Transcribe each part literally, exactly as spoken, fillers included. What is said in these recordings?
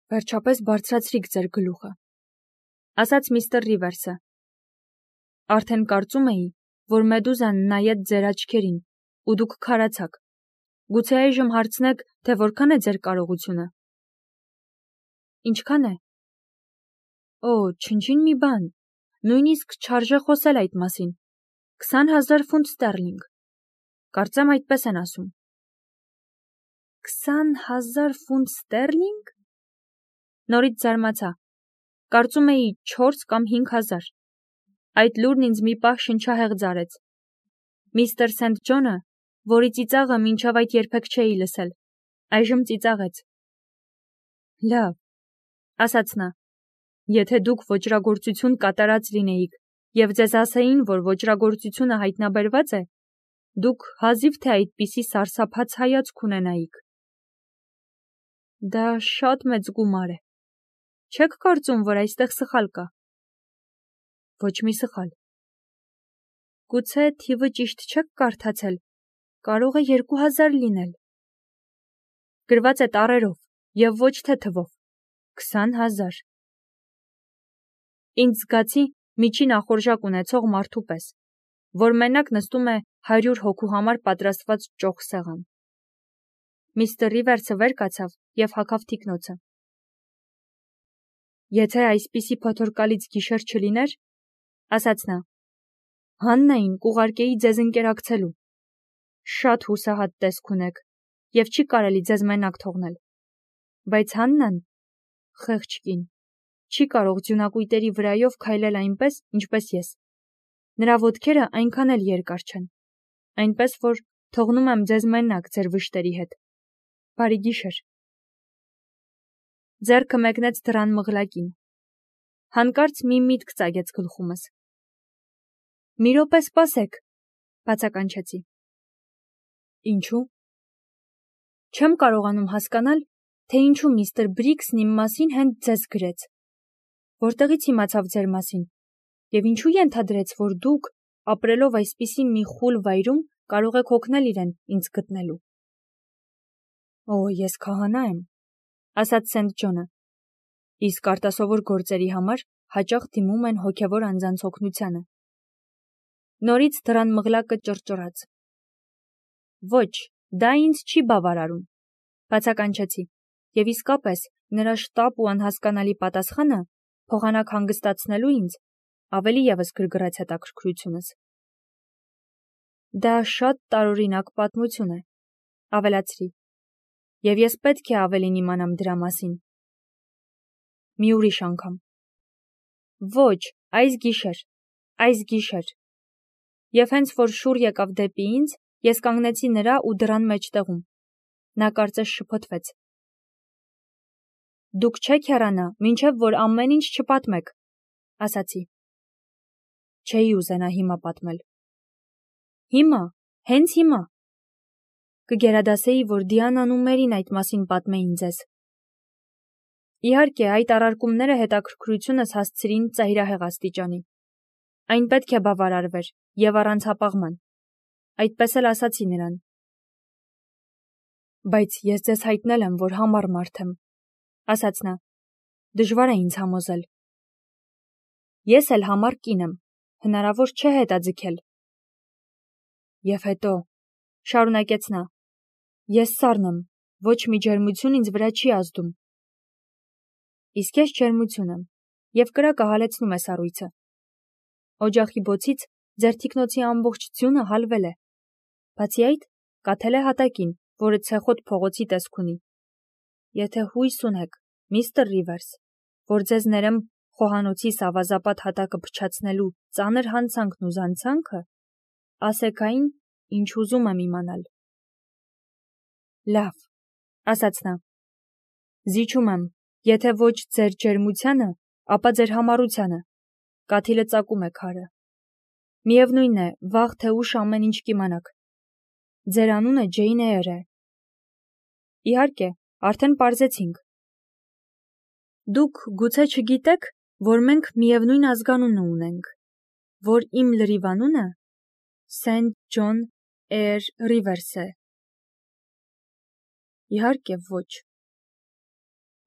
Վերջապես բարձրացրիք ձեր գլուխը, ասաց միստր Ռիվերսը։ Արդեն կարծում էի, որ մեդուզան նայեց ձեր աչքերին, ու դուք քարացաք։ Գուցե այժմ հարցնեք, թե որքան է ձեր կարողությունը։ Ինչքան է։ Օ, չնչին մի բան, նույնիսկ չարժե խոսել այդ մասին։ Քսան հազար ֆունտ ստերլինգ։ Կարծեմ այդպես են ասում։ Քսան հազար ֆունտ ստերլինգ։ Նորից զարմացա։ Կարծում էի չորս կամ հինգ հազար։ Այդ լուրն ինձ մի պահ շնչահեղձ արեց։ Միստր Սենթ Ջոնը, որի ծիծաղը մինչև այդ երբեք չէի լսել, այժմ ծիծաղեց։ Լավ, ասաց նա, եթե դուք ոճրագործություն կատարած լինեիք և ձեզ ասեին, որ ոճրագործությունը հայտնաբերված է, դուք հազիվ թե այդպիսի սարսափած հայացք ունենայիք։ Դա շատ մեծ գումար է։ Չեք կարծում, որ այստեղ սխալ կա։ Ոչ մի սխալ։ Գուցե թիվը ճիշտ չեք կարդացել, կարող է երկու հազար լինել։ Գրված է տառերով և ոչ թե թվով, քսան հազար։ Ինձ զգացի միջին ախորժակ ունեցող մարդու պես, որ մենակ նստում է հարյուր հոգու համար պատրաստված ճոխ սեղան։ Միստր Ռիվերսը վեր կացավ և հագավ թիկնոցը։ Եթե այսպիսի փոթորկալից գիշեր չլիներ, ասաց նա, Հաննային կուղարկեի ձեզ ընկերակցելու։ Շատ հուսահատ տեսք ունեք և չի կարելի ձեզ մենակ թողնել։ Բայց Հաննան, խեղճ կին, չի կարող ձյունակույտերի վրայով քայլել այնպես, ինչպես ես։ Նրա ոտքերը այնքան էլ երկար չեն, այնպես որ թողնում եմ ձեզ մենակ ձեր վշտերի հետ։ Բարի գիշեր։ Ձեռքը մեկնեց դռան մղլակին։ Հանկարծ մի միտք ծագեց գլխումս։ Մի րոպե սպասեք, բացականչեցի։ Ինչու։ Չեմ կարողանում հասկանալ, թե ինչու միստր Բրիքսն իմ մասին հենց ձեզ գրեց։ Որտեղից իմացավ ձեր մասին, և ինչու ենթադրեց, որ դուք, ապրելով այսպիսի մի խուլ վայրում, կարող եք օգնել իրեն ինձ գտնելու։ Օ, ես քահանա եմ, ասաց Սենթ Ջոնը, իսկ արտասովոր գործերի համար հաճախ դիմում են հոգևոր անձանց օգնությանը։ Նորից դռան մղլակը ճռճռաց։ Ոչ, դա ինձ չի բավարարում, բացականչեցի, և իսկապես նրա շտապ ու անհասկանալի պատասխանը, փոխանակ հանգստացնելու ինձ, ավելի ևս գրգռեց հետաքրքրությունս։ Դա շատ տարօրինակ պատմություն է, ավելացրի, և ես պետք է ավելին իմանամ դրա մասին։ Մի ուրիշ անգամ։ Ոչ, այս գիշեր, այս գիշեր։ Եվ հենց որ շուռ եկավ դեպի ինձ, ես կանգնեցի նրա ու դռան մեջտեղում։ Նա կարծես շփոթվեց։ Դուք չեք հեռանա, մինչև որ ամեն ինչ չպատմեք, ասացի։ Չէի ուզենա հիմա պատմել։ Հիմա, հենց հիմա։ Կգերադասեի, որ Դիանան ու Մերին այդ մասին պատմեին ձեզ։ Իհարկե, այդ առարկումները հետաքրքրությունս հասցրին ծայրահեղ աստիճանի։ Այն պետք է բավարարվեր և առանց հապաղման։ Այդպես էլ ասացի նրան։ Բայց ես ձեզ հայտնել եմ, որ համառ մարդ եմ, ասաց նա։ Դժվար է ինձ համոզել։ Ես էլ համառ կին եմ, հնարավոր չէ հետաձգել։ Եվ հետո, շարունակեց նա, ես սառն եմ, ոչ մի ջերմություն ինձ վրա չի ազդում։ Իսկ ես ջերմություն եմ, և կրակը հալեցնում է սառույցը։ Օջախի բոցից ձեր թիկնոցի ամբողջ ձյունը հալվել է։ Բացի այդ, կաթել է հատակին, որը ցեխոտ փողոցի տեսք ունի։ Եթե հույս ունեք, միստր Ռիվերս, որ ձեզ ներեմ խոհանոցի սավազապատ հատակը փչացնելու ծանր հանցանքն ու զանցանքը, ասեք այն, ինչ ուզում եմ իմանալ։ Լավ, ասաց նա։ Զիջում եմ, եթե ոչ ձեր ջերմությանը, ապա ձեր համառությանը։ Կաթիլը ծակում է քարը։ Միևնույն է, վաղ թե ուշ ամեն ինչ կիմանաք։ Ձեր անունը Ջեյն Էյր է։ Իհարկե, արդեն պարզեցինք։ Դուք գուցե չգիտեք, որ մենք միևնույն ազգանունը ունենք, որ իմ լրիվ անունը Սենթ Ջոն Էյր Ռիվերս է։ Իհարկե ոչ։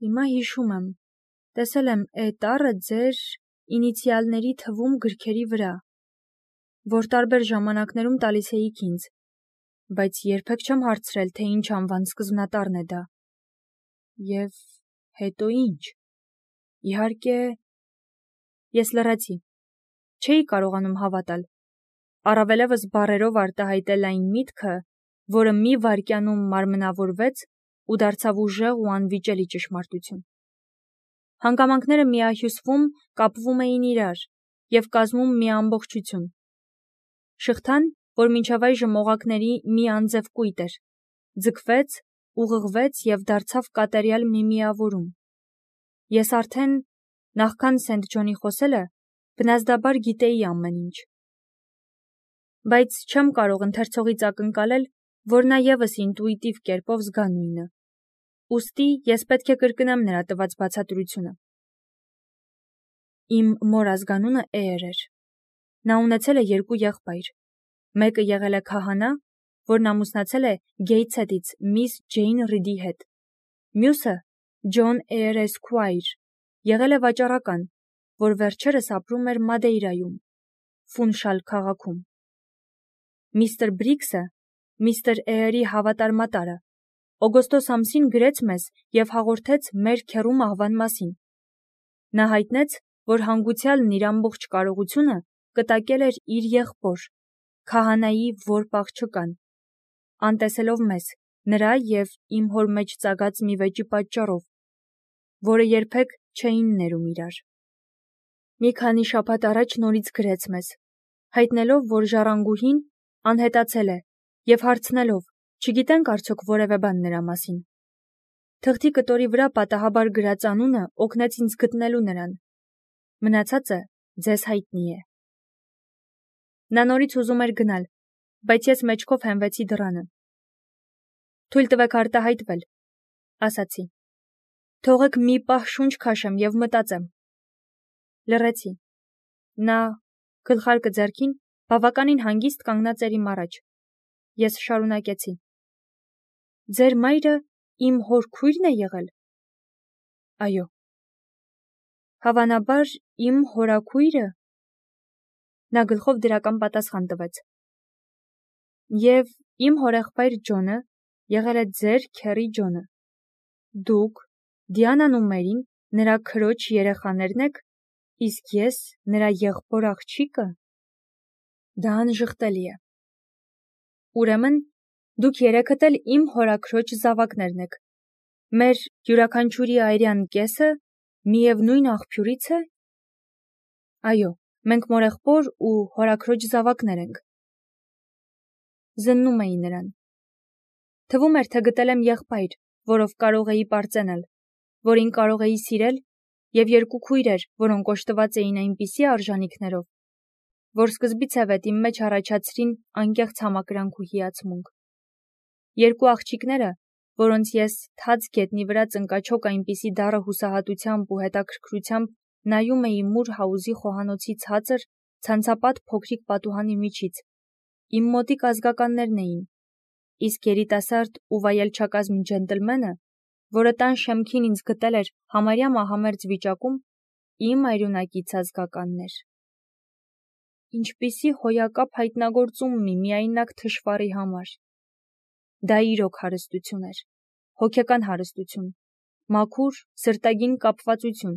Հիմա հիշում եմ, տեսել եմ «Է» տառը ձեր ինիցիալների թվում գրքերի վրա, որ տարբեր ժամանակներում տալիս էիք ինձ, բայց երբեք չեմ հարցրել, թե ինչ անվան սկզբնատառն է դա։ Եվ հետո ինչ։ Իհարկե, ես լռեցի, չէի կարողանում հավատալ, առավելևս բառերով արտահայտել այն միտքը, որը մի վայրկյանում մարմնավորվեց ու դարձավ ուժեղ ու անվիճելի ճշմարտություն։ Հանգամանքները միահյուսվում կապվում էին իրար և կազմում մի ամբողջություն։ Շղթան, որ մինչև այժմ օղակների մի անձև կույտ էր, ձգվեց, ուղղվեց և դարձավ կատարյալ մի միավորում։ Ես արդեն, նախքան Սենթ Ջոնի խոսելը, բնազդաբար գիտեի ամեն ինչ։ Բայց չեմ կարող ընթերցողից ակնկալել, որ նա ևս ինտուիտիվ կերպով զգա նույնը։ Ուստի ես պետք է կրկնեմ նրա տված բացատրությունը։ Իմ մոր ազգանունը Էյր էր։ Նա ունեցել է երկու եղբայր։ Մեկը եղել է քահանա, որն ամուսնացել է Գեյթսհեթից միս Ջեյն Ռիդի հետ։ Մյուսը՝ Ջոն Էյր Էսքվայր, եղել է վաճառական, որ վերջերս ապրում էր Մադեյրայում, Ֆունշալ քաղաքում։ Միստր Բրիգսը, միստր Էյրի հավատարմատարը, օգոստոս ամսին գրեց մեզ և հաղորդեց մեր քեռու մահվան մասին։ Նա հայտնեց, որ հանգուցյալն իր ամբողջ կարողությունը կտակել էր իր եղբոր, քահանայի որբ աղջկան, անտեսելով մեզ, նրա և իմ հոր մեջ ծագած մի վեճի պատճառով, որը երբեք չէին ներում իրար։ Մի քանի շաբաթ առաջ նորից գրեց մեզ, հայտնելով, որ ժառանգուհին անհետացել է և հարցնելով, չգիտենք արդյոք որևէ բան նրա մասին։ Թղթի կտորի վրա պատահաբար գրած անունը օգնեց ինձ գտնելու նրան։ Մնացածը ձեզ հայտնի է։ Նա նորից ուզում էր գնալ, բայց ես մեջքով հենվեցի դռանը։ Թույլ տվեք արտահայտվել, ասացի։ Թողեք մի պահ շունչ քաշեմ և մտածեմ։ Լռեցի։ Նա, գլխարկը ձեռքին, բավականին հանգիստ կանգնած էր իմ առաջ։ Ես շարունակեցի. Ձեր մայրը իմ հոր քույրն է եղել։ Այո։ Հավանաբար իմ հորաքույրը։ Նա գլխով դրական պատասխան տվեց։ Եվ իմ հորեղբայր Ջոնը եղել է ձեր քեռի Ջոնը։ Դուք, Դիանան ու Մերին, նրա քրոջ երեխաներն եք, իսկ ես նրա եղբոր աղջիկը։ Դա անժխտելի է։ Ուրեմն, դուք երեքդ էլ իմ հորաքրոջ զավակներն եք։ Մեր յուրաքանչյուրի այրյան կեսը միևնույն աղբյուրից է։ Այո, մենք մորեղբոր ու հորաքրոջ զավակներ ենք։ Զննում էի նրան։ Թվում էր, թե գտել եմ եղբայր, որով կարող էի պարծենալ, որին կարող էի սիրել, և երկու քույրեր, որոնք օժտված էին այնպիսի արժանիքներով, որ սկզբից ի վեր իմ մեջ առաջացրին անկեղծ համակրանք ու հիացմունք։ Երկու աղջիկները, որոնց ես թաց գետնի վրա ծնկաչոք այնպիսի դառը հուսահատությամբ ու հետաքրքրությամբ նայում էի մուր հաուզի խոհանոցի ցածր, ցանցապատ փոքրիկ պատուհանի միջից, իմ մոտիկ ազգականներն էին, իսկ երիտասարդ ու վայելչակազմ ջենտլմենը, որը տան շեմքին ինձ գտել էր համարյա մահամերձ վիճակում, իմ այրունակից ազգականն էր։ Ինչպիսի հոյակապ հայտնագործում մի միայնակ թշվառի համար։ Դա իրոք հարստություն էր, հոգեկան հարստություն, մաքուր, սրտագին կապվածություն։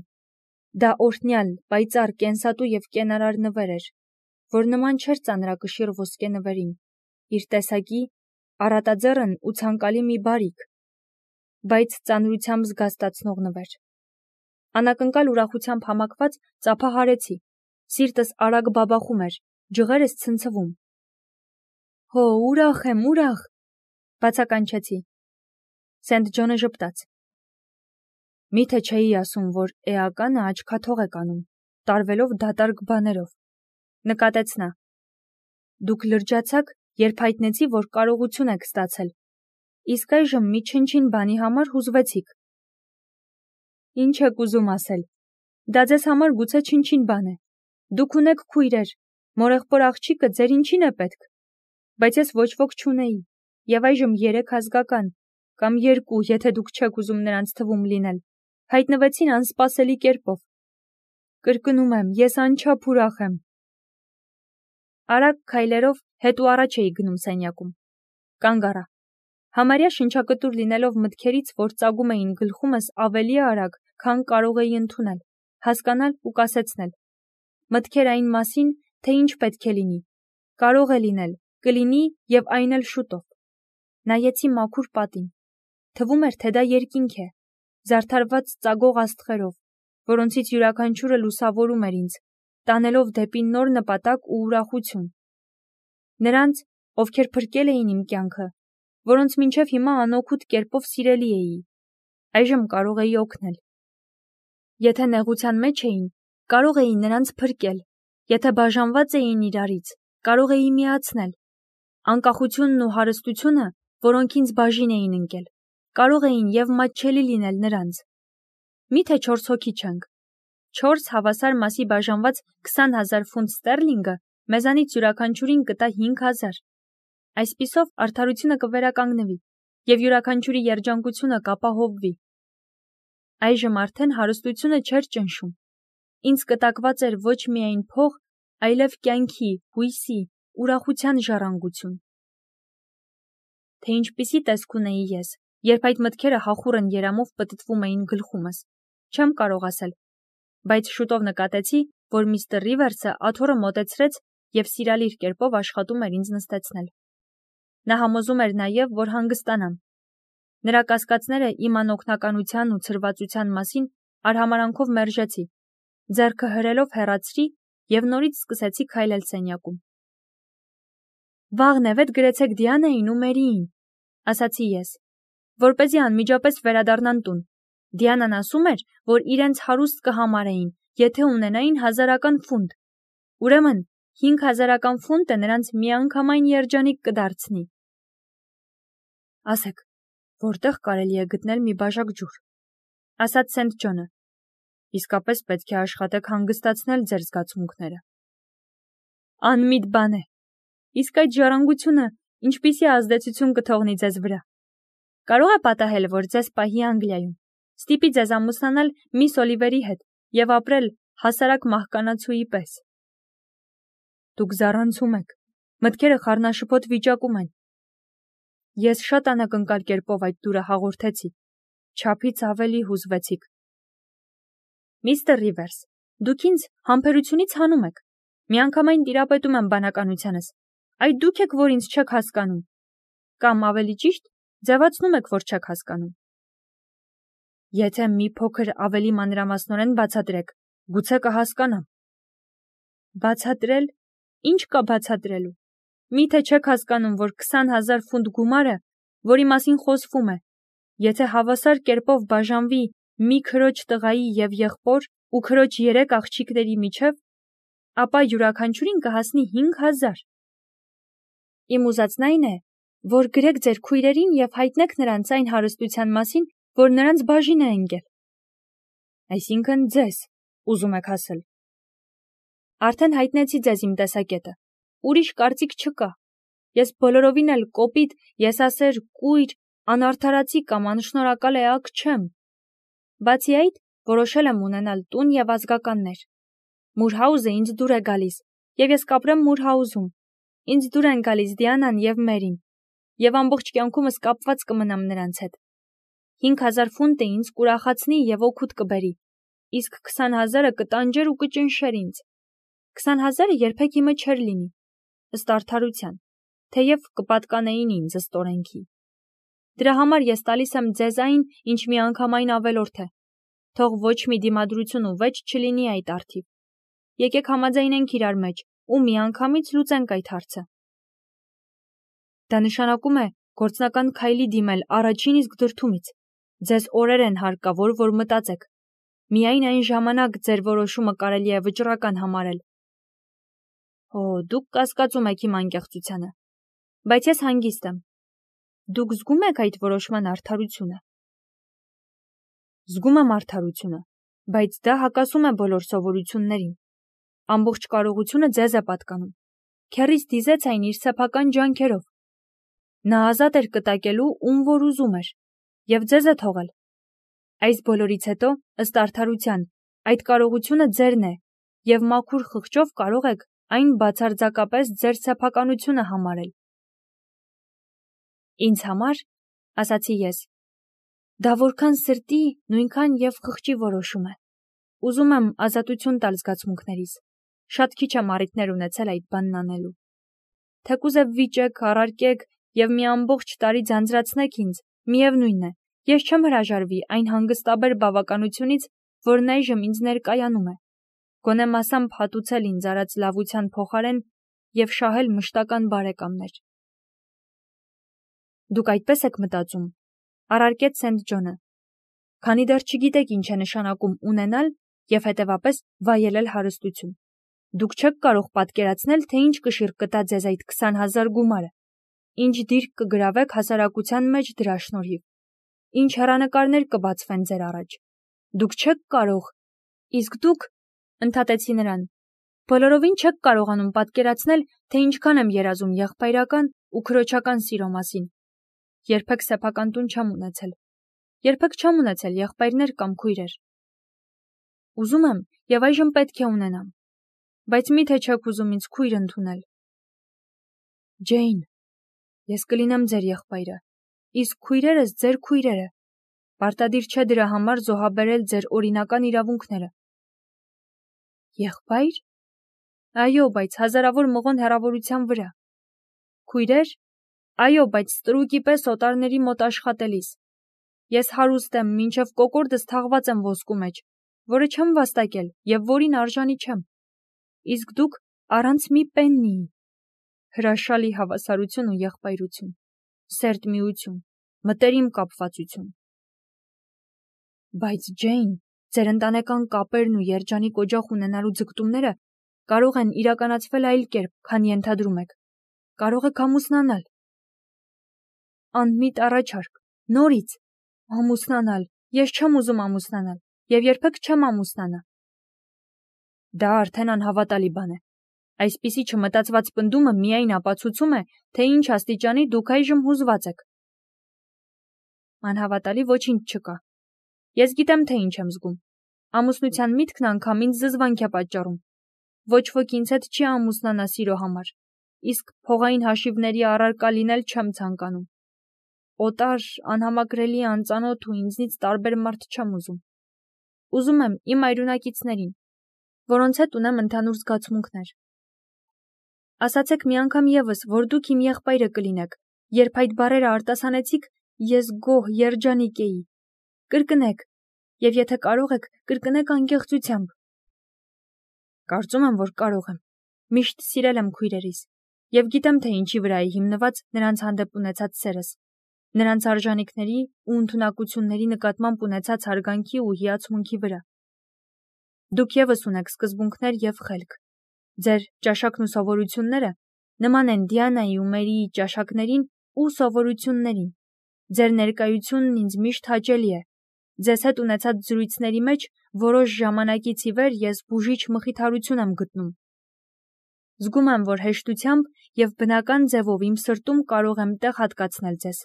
Դա օրհնյալ, պայծառ, կենսատու և կենարար նվեր էր, որ նման չէր ծանրակշիռ ոսկե նվերին, իր տեսակի, առատաձեռն ու ցանկալի մի բարիք, բայց ծանրությամբ զգաստացնող նվեր։ Անակնկալ ուրախությամբ համակված ծափահարեցի, սիրտս արագ բաբախում էր, ջղերս ցնցվում։ Հո, ուրախ եմ, ուրախ, բացականչեցի։ Սենթ Ջոնը ժպտաց։ Միթե չէի ասում, որ էականը աչքաթող եք անում, տարվելով դատարկ բաներով, նկատեց նա։ Դուք լրջացաք, երբ հայտնեցի, որ կարողություն եք ստացել, իսկ այժմ մի չնչին բանի համար հուզվեցիք։ Ինչ եք ուզում ասել։ Դա ձեզ համար գուցե չնչին բան է։ Դուք ունեք քույրեր, մորեղբոր աղջիկը ձեր ինչին է պետք։ Բայց ես ոչ ոք չունեի, և այժմ երեք ազգական, կամ երկու, եթե դուք չեք ուզում նրանց թվում լինել, հայտնվեցին անսպասելի կերպով։ Կրկնում եմ, ես անչափ ուրախ եմ։ Արագ քայլերով հետ ու առաջ էի գնում սենյակում։ Կանգ առա։ Համարյա շնչակտուր լինելով մտքերից, որ ծագում էին գլխումս ավելի արագ, քան կարող էի ընդունել, հասկանալ ու կասեցնել։ Մտքեր այն մասին, թե ինչ պետք է լինի, կարող է լինել, կլինի և այն էլ շուտով։ Նայեցի մաքուր պատին։ Թվում էր, թե դա երկինք է, զարդարված ծագող աստղերով, որոնցից յուրաքանչյուրը լուսավորում էր ինձ, տանելով դեպի նոր նպատակ ու ուրախություն։ Նրանց, ովքեր փրկել էին իմ կյանքը, որոնց մինչև հիմա անօգուտ կերպով սիրելի էի, այժմ կարող էի օգնել։ Եթե նեղության մեջ էին, կարող էի նրանց փրկել, եթե բաժանված էին իրարից, կարող էի միացնել։ Անկախությունն ու հարստությունը, որոնք ինձ բաժին էին ընկել, կարող էին և մատչելի լինել նրանց։ Միթե չորս հոգի չենք։ Չորս հավասար մասի բաժանված քսան հազար ֆունտ ստերլինգը մեզանից յուրաքանչյուրին կտա հինգ հազար։ Այսպիսով արդարությունը կվերականգնվի, և յուրաքանչյուրի երջանկությունը կապահովվի։ Այժմ արդեն հարստությունը չէր ճնշում։ Ինձ կտակված էր ոչ միայն փող, այլև կյանքի, հույսի, ուրախության ժառանգություն։ Թե ինչպիսի տեսք ունեի ես, երբ այդ մտքերը հախուռն երամով պտտվում էին գլխումս, չեմ կարող ասել, բայց շուտով նկատեցի, որ միստր Ռիվերսը աթոռը մոտեցրեց և սիրալիր կերպով աշխատում էր ինձ նստեցնել։ Նա համոզում էր նաև, որ հանգստանամ։ Նրա կասկածները իմ անօգնականության ու ցրվածության մասին արհամարանքով մերժեցի, ձեռքը հրելով հեռացրի և նորից սկսեցի քայլել սենյակում։ Վաղն է վետ գրեցեք Դիանային ու Մերիին, ասացի ես, որպեսզի անմիջապես վերադառնան տուն։ Դիանան ասում էր, որ իրենց հարուստ կհամարեին, եթե ունենային հազարական ֆունտ։ Ուրեմն, հինգ հազարական ֆունտը նրանց միանգամայն երջանիկ կդարձնի։ Ասեք, որտեղ կարելի է գտնել մի բաժակ ջուր, ասաց Սենթ Ջոնը։ Իսկապես պետք է աշխատեք հանգստացնել ձեր զգացմունքները։ Անմիտ բան է։ Իսկ այդ ժառանգությունը ինչպիսի ազդեցություն կթողնի ձեզ վրա։ Կարող է պատահել, որ ձեզ պահի Անգլիայում, ստիպի ձեզ ամուսնանալ միս Օլիվերի հետ և ապրել հասարակ մահկանացուի պես։ Դուք զառանցում եք, մտքերը խառնաշփոթ վիճակում են։ Ես շատ անակնկալ կերպով այդ տուրը հաղորդեցի, չափից ավելի հուզվեցիք։ Միստր Ռիվերս, դուք ինձ համբերությունից հանում եք, միանգամայն տիրապետում եմ բանականությանս, այդ դուք եք, որ ինձ չեք հասկանում, կամ ավելի ճիշտ, ձևացնում եք, որ չեք հասկանում։ Եթե մի փոքր ավելի մանրամասնորեն բացատրեք, գուցե կհասկանամ։ Բացատրել, ինչ կա բացատրելու։ Միթե չեք հասկանում, որ քսան հազար ֆունտ գումարը, որի մասին խոսվում է, եթե հավասար կերպով բաժանվի մի քրոջ տղայի և եղբոր ու քրոջ երեք աղջիկների միջև, ապա յուրաքանչյուրին կհասնի հինգ հազար։ Իմ ուզածն այն է, որ գրեք ձեր քույրերին և հայտնեք նրանց այն հարստության մասին, որ նրանց բաժին է ընկել։ Այսինքն ձեզ, ուզում եք ասել։ Արդեն հայտնեցի ձեզ իմ տեսակետը, ուրիշ կարծիք չկա։ Ես բոլորովին էլ կոպիտ, եսասեր, կույր, անարդարացի կամ անշնորհակալ էակ չեմ։ Բացի այդ, որոշել եմ ունենալ տուն և ազգականներ։ Մուրհաուզը ինձ դուր է գալիս, և ես կապրեմ Մուրհաուզում։ Ինձ դուր են գալիս Դիանան և Մերին, և ամբողջ կյանքումս կապված կմնամ նրանց հետ։ Հինգ հազար ֆունտը ինձ կուրախացնի և օգուտ կբերի, իսկ քսան հազարը կտանջեր ու կճնշեր ինձ։ Քսան հազարը երբեք իմը չէր լինի, ըստ արդարության, թեև կպատկանեին ինձ ըստ օրենքի։ Դրա համար ես տալիս եմ ձեզ այն, ինչ միանգամայն ավելորդ է։ Թող ոչ մի դիմադրություն ու վեճ չլինի այդ առթիվ։ Եկեք համաձայնենք իրար մեջ ու միանգամից լուծենք այդ հարցը։ Դա նշանակում է գործնական քայլի դիմել առաջին իսկ դրդումից։ Ձեզ օրեր են հարկավոր, որ մտածեք։ Միայն այն ժամանակ ձեր որոշումը կարելի է վճռական համարել։ Օ, դուք կասկածում եք իմ անկեղծությանը, բայց ես հանգիստ եմ։ Դուք զգում եք այդ որոշման արդարությունը։ Զգում եմ արդարությունը, բայց դա հակասում է բոլոր սովորություններին։ Ամբողջ կարողությունը ձեզ է պատկանում։ Քեռիս դիզեց այն իր սեփական ջանքերով։ Նա ազատ էր կտակելու, ում որ ուզում էր, և ձեզ է թողել։ Այս բոլորից հետո, ըստ արդարության, այդ կարողությունը ձերն է, և մաքուր խղճով կարող եք այն բացարձակապես ձեր սեփականությունը համարել։ Ինձ համար, ասացի ես, դա որքան սրտի, նույնքան և խղճի որոշում է։ Ուզում եմ ազատություն տալ զգացմունքներիս։ Շատ քիչ եմ առիթներ ունեցել այդ բանն անելու։ Թեկուզև վիճեք, առարկեք և մի ամբողջ տարի ձանձրացնեք ինձ, միևնույն է, ես չեմ հրաժարվի այն հանգստաբեր բավականությունից, որն այժմ ինձ ներկայանում է։ Գոնե մասամբ հատուցել ինձ արած լավության փոխարեն և շահել մշտական բարեկամներ։ Դուք այդպես եք մտածում, առարկեց Սենթ Ջոնը, քանի դեռ չգիտեք ինչ է նշանակում ունենալ և հետևապես վայելել հարստություն։ Դուք չեք կարող պատկերացնել, թե ինչ կշիռ կտա ձեզ այդ քսան հազար գումարը, ինչ դիրք կգրավեք հասարակության մեջ դրա շնորհիվ, ինչ հեռանկարներ կբացվեն ձեր առաջ։ Դուք չեք կարող, իսկ դուք, ընդհատեցի նրան, բոլորովին չեք կարողանում պատկերացնել, թե ինչքան եմ երազում եղբայրական ու քրոջական սիրո մասին։ Երբեք սեփական տուն չեմ ունեցել։ Երբեք չեմ ունեցել եղբայրներ կամ քույրեր։ Ուզում եմ և այժմ պետք է ունենամ, բայց մի՞թե չեք ուզում ինձ քույր ընդունել։ Ջեյն, ես կլինեմ ձեր եղբայրը, իսկ քույրերս ձեր քույրերը։ Պարտադիր չէ դրա համար զոհաբերել ձեր օրինական իրավունքները։ Եղբայր։ Այո, բայց հազարավոր մղոն հեռավորության վրա։ Քույրեր։ Այո, բայց ստրուկի պես օտարների մոտ աշխատելիս։ Ես հարուստ եմ, մինչև կոկորդս թաղված եմ ոսկու մեջ, որը չեմ վաստակել և որին արժանի չեմ։ Իսկ դուք առանց մի պեննիի։ Հրաշալի հավասարություն ու եղբայրություն, սերտ միություն, մտերիմ կապվածություն։ Բայց Ջեյն, ձեր ընտանեկան կապերն ու երջանիկ օջախ ունենալու ձգտումները կարող են իրականացվել այլ կերպ, քան ենթադրում եք։ Կարող եք ամուսնանալ։ Անմիտ առաջարկ, նորից, ամուսնանալ, ես չեմ ուզում ամուսնանալ և երբեք չեմ ամուսնանա։ Դա արդեն անհավատալի բան է։ Այսպիսի չմտածված պնդումը միայն ապացուցում է, թե ինչ աստիճանի դուք այժմ հուզված եք։ Անհավատալի ոչինչ չկա։ Ես գիտեմ, թե ինչ եմ զգում։ Ամուսնության միտքն անգամ ինձ զզվանք է պատճառում։ Ոչ ոք ինձ հետ չի ամուսնանա սիրո համար, իսկ փողային հաշիվների առարկա լինել չեմ ցանկանում։ Օտար, անհամակրելի, անծանոթ ու ինձնից տարբեր մարդ չեմ ուզում։ Ուզում եմ իմ այրունակիցներին, որոնց հետ ունեմ ընդհանուր զգացմունքներ։ Ասացեք մի անգամ ևս, որ դուք իմ եղբայրը կլինեք, երբ այդ բառերը արտասանեցիք, ես գոհ, երջանիկ էի։ Կրկնեք, և եթե կարող եք, կրկնեք անկեղծությամբ։ Կարծում եմ, որ կարող եմ։ Միշտ սիրել եմ քույրերիս և գիտեմ, թե ինչի վրա է հիմնված նրանց հանդեպ ունեցած սերս, նրանց արժանիքների ու ընդունակությունների նկատմամբ ունեցած հարգանքի ու հիացմունքի վրա։ Դուք ևս ունեք սկզբունքներ և խելք։ Ձեր ճաշակն ու սովորությունները նման են Դիանայի ու Մերիի ճաշակներին ու սովորություններին։ Ձեր ներկայությունն ինձ միշտ հաճելի է։ Ձեզ հետ ունեցած զրույցների մեջ որոշ ժամանակից ի վեր ես բուժիչ մխիթարություն եմ գտնում։ Զգում եմ, որ հեշտությամբ և բնական ձևով իմ սրտում կարող եմ տեղ հատկացնել ձեզ,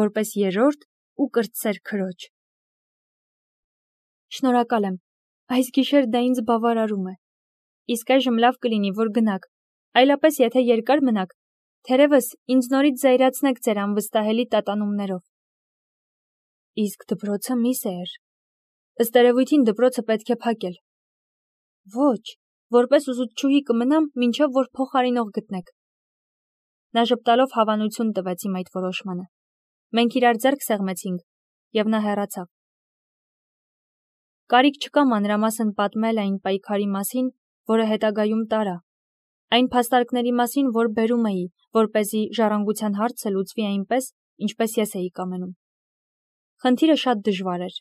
որպես երրորդ ու կրտսեր քրոջ։ Շնորհակալ եմ, այս գիշեր դա ինձ բավարարում է։ Իսկ այժմ լավ կլինի, որ գնաք, այլապես եթե երկար մնաք, թերևս ինձ նորից զայրացնեք ձեր անվստահելի տատանումներով։ Իսկ դպրոցը մի սեր։ Ըստ երևույթին դպրոցը պետք է փակել։ Ոչ, որպես ուսուցչուհի կմնամ, մինչև որ փոխարինող գտնեք։ Նա ժպտալով հավանություն տվեց իմ այդ որոշմանը։ Մենք իրար ձեռք սեղմեցինք, և նա հեռացավ։ Կարիք չկա մանրամասն պատմել այն պայքարի մասին, որը հետագայում տարա, այն փաստարկների մասին, որ բերում էի, որպեսզի ժառանգության հարցը լուծվի այնպես, ինչպես ես էի կամենում։ Խնդիրը շատ դժվար էր,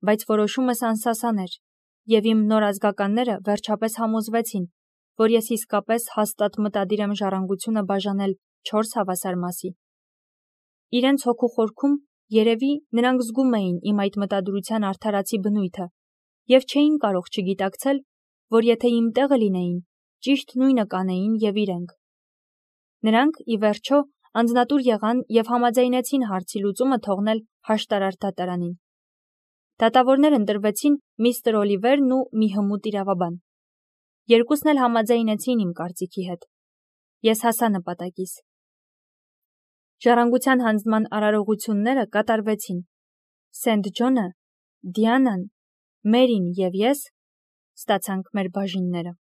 բայց որոշումս անսասան էր, և իմ նոր ազգականները վերջապես համոզվեցին, որ ես իսկապես հաստատ մտադիր եմ ժառանգությունը բաժանել չորս հավասար մասի։ Իրենց հոգու խորքում, երևի, նրանք զգում էին իմ այդ մտադրության արդարացի բնույթը և չէին կարող չգիտակցել, որ եթե իմ տեղը լինեին, ճիշտ նույնը կանեին և իրենք։ Նրանք, ի վերջո, անձնատուր եղան և համաձայնեցին հարցի լուծումը թողնել հաշտարար դատարանին։ Դատավորներ ընտրվեցին միստր Օլիվերն ու մի հմուտ իրավաբան։ Երկուսն էլ համաձայնեցին իմ կարծիքի հետ։ Ես հասա նպատակիս։ Ժառանգության հանձնման արարողությունները կատարվեցին։ Սենթ Ջոնը, Դիանան, Մերին և ես ստացանք մեր բաժինները։